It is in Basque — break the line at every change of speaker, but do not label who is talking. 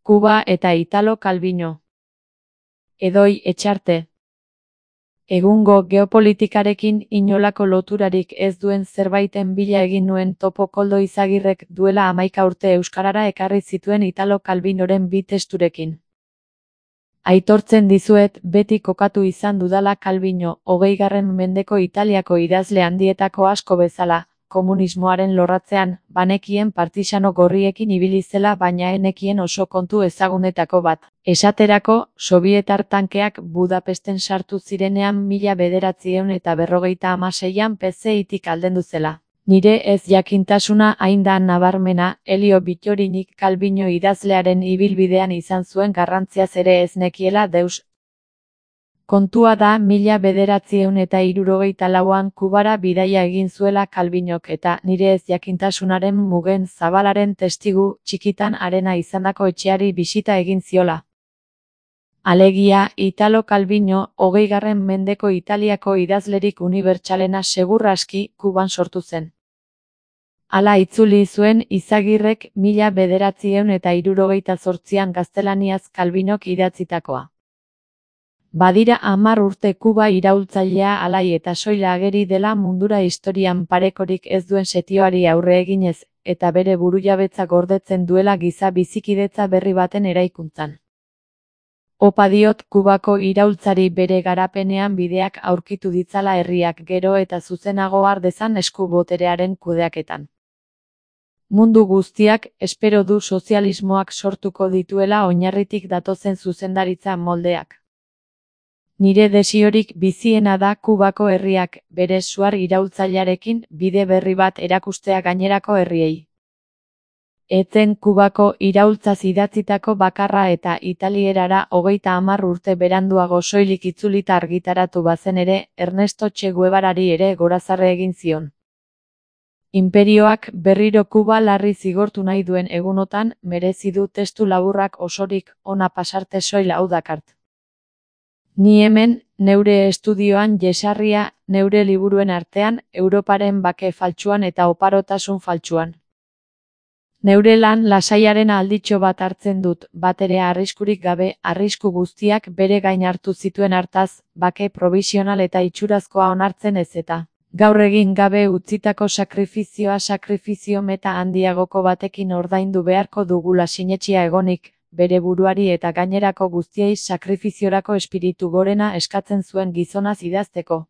Kuba eta Italo Calvino. Edoi Etxarte. Egungo geopolitikarekin inolako loturarik ez duen zerbaiten bila egin nuen topo Koldo Izagirrek duela 11 urte euskarara ekarri zituen Italo Calvinoren bi testurekin. Aitortzen dizuet beti kokatu izan dudala Calvino, 20. mendeko Italiako idazle handietako asko bezala, komunismoaren lorratzean, banekien partisano gorriekin ibili zela baina enekien oso kontu ezagunetako bat. Esaterako, sobietar tankeak Budapesten sartu zirenean 1956an PCItik aldendu zela. Nire ez jakintasuna hain da nabarmena, Elio Bittorinik Calvino idazlearen ibilbidean izan zuen garrantziaz ere ez nekiela deus. Kontua da 1964an Kubara bidaia egin zuela Calvinok eta nire ez jakintasunaren mugen zabalaren testigu txikitan arena izandako etxeari bisita egin ziola. Alegia, Italo Calvino, 20. mendeko Italiako idazlerik unibertsalena segur aski Kuban sortu zen. Hala itzuli zuen Izagirrek 1968an gaztelaniaz Calvinok idatzitakoa. Badira 10 urte Kuba iraultzailea alai eta soila ageri dela mundura historian parekorik ez duen setioari aurre eginez, eta bere burujabetza gordetzen duela giza bizikidetza berri baten eraikuntzan. Opa diot Kubako iraultzari bere garapenean bideak aurkitu ditzala herriak gero eta zuzenago har dezan esku boterearen kudeaketan. Mundu guztiak espero du sozialismoak sortuko dituela oinarritik datozen zuzendaritza moldeak. Nire desiorik biziena da Kubako herriak bere suar iraultzailearekin bide berri bat erakustea gainerako herriei. Etzen Kubako iraultzaz idatzitako bakarra eta italierara 30 urte beranduago soilik itzulita argitaratu bazen ere, Ernesto Che Guevarari ere gorazarre egin zion. Inperioak berriro Kuba larri zigortu nahi duen egunotan, merezi du testu laburrak osorik ona pasarte soil hau dakart. Ni hemen, neure estudioan jesarria, neure liburuen artean, Europaren bake faltsuan eta oparotasun faltsuan. Neure lan lasaiaren alditxo bat hartzen dut, bat ere arriskurik gabe, arrisku guztiak bere gain hartu zituen hartaz, bake provisional eta itxurazkoa onartzen ez eta. Gaur egin gabe utzitako sakrifizio meta handiagoko batekin ordaindu beharko dugula sinetsia egonik, bere buruari eta gainerako guztiei sakrifiziorako espiritu gorena eskatzen zuen gizonaz idazteko.